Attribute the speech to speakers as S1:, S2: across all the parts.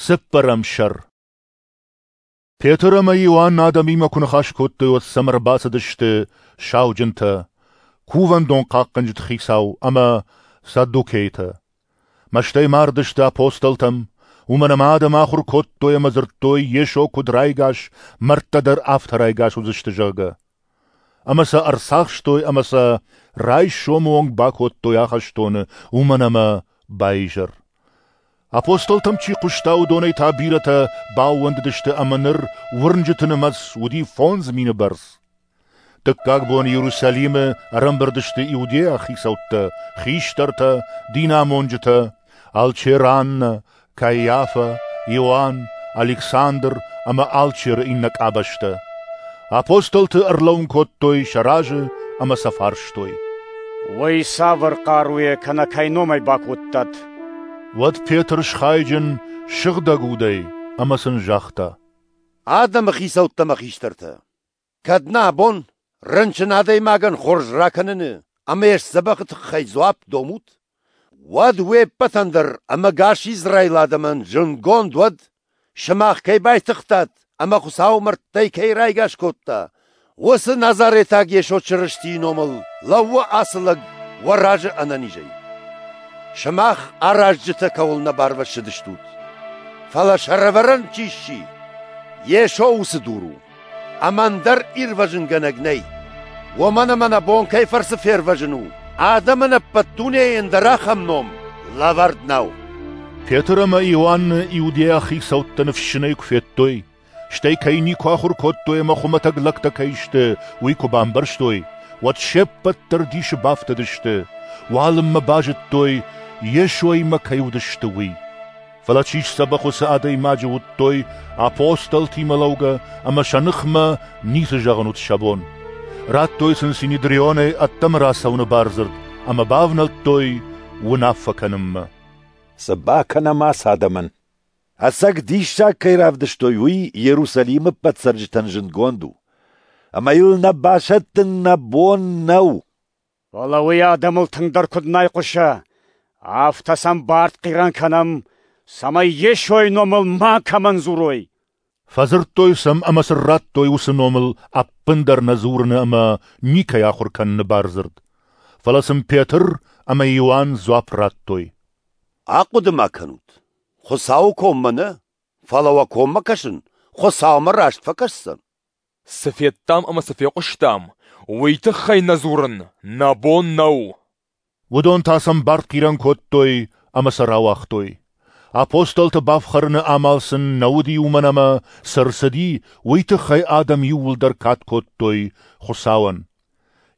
S1: Цыппӕрӕм сӕр. Петр ӕмӕ Иоанн адӕмимӕ куы ныхас кодтой, уӕд сӕм ӕрбацыдысты сауджынтӕ, кувӕндон хъахъхъӕнджыты хицау ӕмӕ саддукейтӕ. Мӕстӕй мардысты апостолтӕм, уымӕн ӕмӕ адӕм ахуыр кодтой ӕмӕ дзырдтой, Йесо куыд райгас, мӕрдтӕ дӕр афтӕ райгас уыдзысты, зӕгъгӕ. Ӕмӕ сӕ ӕрцахстой ӕмӕ сӕ райсомы онг бакодтой ахӕстоны, уымӕн ӕмӕ баизӕр. Апостолтӕм чи хъуыста, уыдонӕй та бирӕтӕ баууӕндыдысты ӕмӕ ныр уырнджыты нымӕц уыди 5000 бӕрц. Дыккаг бон Иерусалимы ӕрӕмбырд сты иудейаг хицӕуттӕ, хистӕртӕ, динамонджытӕ, алчер Аннӕ, Каиафа, Иоанн, Александр ӕмӕ алчеры иннӕ къабӕзтӕ. Апостолты ӕрлӕууын кодтой сӕ разы ӕмӕ сӕ фарстой:
S2: Уый цавӕр хъаруйӕ кӕнӕ кӕй номӕй бакодтат?
S1: Уӕд Петр схайджын Сыгъдӕг Удӕй ӕмӕ сын загъта:
S3: Адӕмы хицӕуттӕ мӕ хистӕртӕ, кӕд нӕ абон рынчын адӕймагӕн хорз ракӕныны ӕмӕ йе сдзӕбӕхы тыххӕй дзуапп домут, уӕд уе ппӕтӕн дӕр ӕмӕ гас Израилы адӕмӕн зындгонд уӕд, сымах кӕй байтыгътат ӕмӕ Хуыцау мӕрдтӕй кӕй райгас кодта, уыцы Назаретаг Йесо Чырыстийы номыл лӕууы ацы лӕг уӕ разы ӕнӕнизӕй. Сымах аразджытӕ кӕуыл нӕ барвӕссыдыстут, фӕлӕ сӕрӕвӕрӕн чи сси, Йесо уыцы дур у, ӕмӕ ӕндӕр ирвӕзынгӕнӕг нӕй. Уымӕн ӕмӕ нӕ бон кӕй фӕрцы фервӕзын у, адӕмӕн ӕппӕт дунейы ӕндӕр ахӕм ном лӕвӕрд нӕу.
S1: Петр ӕмӕ Иоанны иудейаг хицӕуттӕ ныфсджынӕй куы федтой, стӕй кӕй никуы ахуыр кодтой ӕмӕ хуымӕтӕг лӕгтӕ кӕй сты, уый куы бамбӕрстой, уӕд се ппӕт дӕр дисы бафтыдысты, уалынмӕ базыдтой, Йесоимӕ кӕй уыдысты, уый. Фӕлӕ чи сдзӕбӕх, уыцы адӕймаджы уыдтой апостолтимӕ лӕугӕ ӕмӕ сӕ ныхмӕ ницы зӕгъын уыд сӕ бон. Радтой сын Синедрионӕй ӕддӕмӕ рацӕуыны бардзырд ӕмӕ бавнӕлдтой уынаффӕ кӕнынмӕ.
S4: Цы бакӕнӕм ацы адӕмӕн?
S3: Ӕцӕг диссаг кӕй равдыстой, уый Иерусалимы ӕппӕт цӕрджытӕн зындгонд у. Ӕмӕ йыл нӕ басӕттын нӕ бон нӕу.
S2: Фӕлӕ уый адӕмыл тынгдӕр куыд нӕ хъуыса, афтӕ сӕм бартхъирӕн кӕнӕм, цӕмӕй Йесойы номыл макӕмӕн дзурой.
S1: Фӕдзырдтой сӕм ӕмӕ сын радтой уыцы номыл ӕппындӕр нӕ дзурыны ӕмӕ никӕй ахуыр кӕныны бардзырд. Фӕлӕ сын Петр ӕмӕ Иоанн дзуапп радтой:
S3: Ахъуыды-ма кӕнут, Хуыцауы коммӕ нӕ, фӕлӕ уӕ коммӕ кӕсын Хуыцаумӕ раст фӕкӕсдзӕн.
S5: Цы федтам ӕмӕ цы фехъуыстам, уый тыххӕй нӕ дзурын нӕ бон нӕу.
S1: Уыдон та сӕм бартхъирӕн кодтой ӕмӕ сӕ рауагътой. Апостолты бафхӕрыны амал сын нӕ уыди, уымӕн ӕмӕ цы рцыди, уый тыххӕй адӕм иууылдӕр кад кодтой Хуыцауӕн.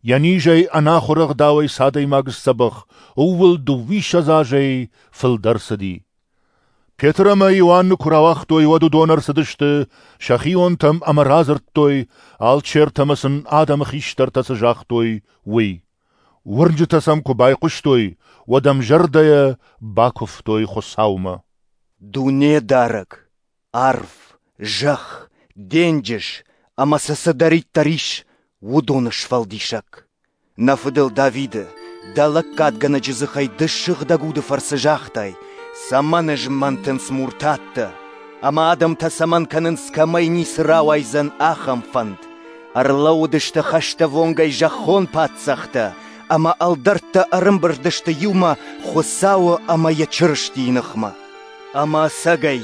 S1: Йӕ низӕй ӕнахуыр ӕгъдауӕй цы адӕймаг сдзӕбӕх, ууыл 22 азӕй фылдӕр цыди. Петр ӕмӕ Иоанны куы рауагътой, уӕд уыдон ӕрцыдысты сӕхионтӕм ӕмӕ радзырдтой, алчертӕ ӕмӕ сын адӕмы хистӕртӕ цы загътой, уый. Уырнджытӕ сӕм куы байхъуыстой, уӕд ӕмзӕрдӕйӕ бакуывтой Хуыцаумӕ.
S6: Дунедарӕг, арв, зӕхх, денджыз ӕмӕ сӕ цыдӕриддӕр ис, уыдоны сфӕлдисӕг. Нӕ фыдыл Давиды, дӕ лӕггадгӕнӕджы дзыхӕй ды Сыгъдӕг Уды фӕрцы загътай, цӕмӕн змӕнтынц муртаттӕ, ӕмӕ адӕмтӕ цӕмӕн кӕнынц, кӕмӕй ницы рауайдзӕн, ахӕм фӕнд. Ӕрлӕууыдысты хӕстӕввонгӕй зӕххон паддзӕхтӕ, ӕмӕ ӕлдӕрттӕ ӕрӕмбырд сты иумӕ Хуыцауы ӕмӕ йӕ Чырыстийы ныхмӕ. Ӕмӕ ӕцӕгӕй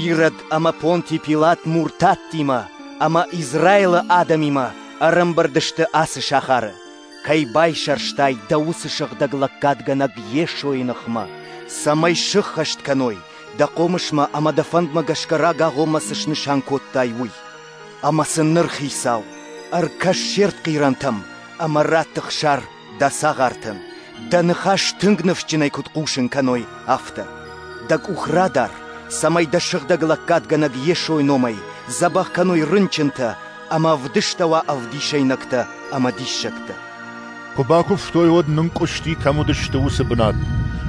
S6: Ирод ӕмӕ Понти Пилат муртаттимӕ ӕмӕ Израилы адӕмимӕ ӕрӕмбырд сты ацы сахары, кӕй байсӕрстай дӕ уыцы сыгъдӕг лӕггадгӕнӕг Йесойы ныхмӕ, цӕмӕй сыххӕст кӕной, дӕ хъомысмӕ ӕмӕ дӕ фӕндмӕ гӕсгӕ рагагъоммӕ цы снысан кодтай, уый. Ӕмӕ сын ныр, Хицау, ӕркӕс се ртхъирӕнтӕм ӕмӕ ратт ӕхсар дӕ цагъартӕн, дӕ ныхас тынг ныфсджынӕй куыд хъусын кӕной, афтӕ. Дӕ къух радар, цӕмӕй дӕ сыгъдӕг лӕггадгӕнӕг Йесойы номӕй дзӕбӕх кӕной рынчынтӕ ӕмӕ ӕвдыстӕуа ӕвдисӕйнӕгтӕ ӕмӕ диссӕгтӕ.
S1: Куы бакуывтой, уӕд нынкъуысти, кӕм уыдысты, уыцы бынат.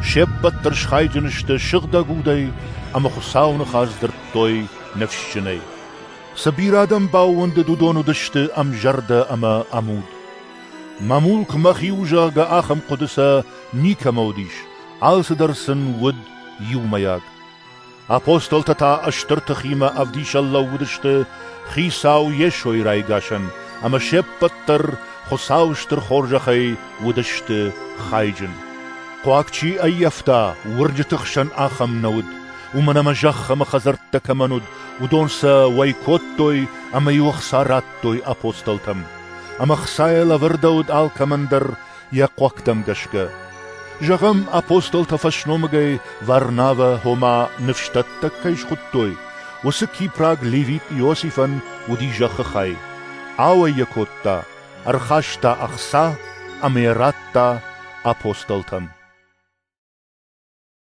S1: Се ппӕт дӕр схайджын сты Сыгъдӕг Удӕй ӕмӕ Хуыцауы ныхас дзырдтой ныфсджынӕй. Цы бирӕ адӕм баууӕндыд, уыдон уыдысты ӕмзӕрдӕ ӕмӕ ӕмуд. Мӕ мулк мӕхи у, зӕгъгӕ, ахӕм хъуыды сӕ никӕмӕ уыдис, алцыдӕр сын уыд иумӕйаг. Апостолтӕ та стыр тыхимӕ ӕвдисӕн лӕууыдысты Хицау Йесойы райгасӕн, ӕмӕ се ппӕт дӕр Хуыцауы стыр хорзӕхӕй уыдысты хайджын. Хъуаг чи ӕййӕфта, уырнджыты хсӕн ахӕм нӕ уыд, уымӕн ӕмӕ зӕхх ӕмӕ хӕдзӕрттӕ кӕмӕн уыд, уыдон сӕ уӕй кодтой ӕмӕ-иу ӕхца радтой апостолтӕм. Ӕмӕ ӕхцайӕ лӕвӕрдӕуыд алкӕмӕн дӕр йӕ хъуӕгтӕм гӕсгӕ. Зӕгъӕм, апостолтӕ фӕсномыгӕй Варнавӕ, ома ныфсдӕттӕг кӕй схуыдтой, уыцы кипраг левит Иосифӕн уыди зӕххы хай. Ауӕй йӕ кодта, ӕрхаста ӕхца ӕмӕ йӕ радта апостолтӕм.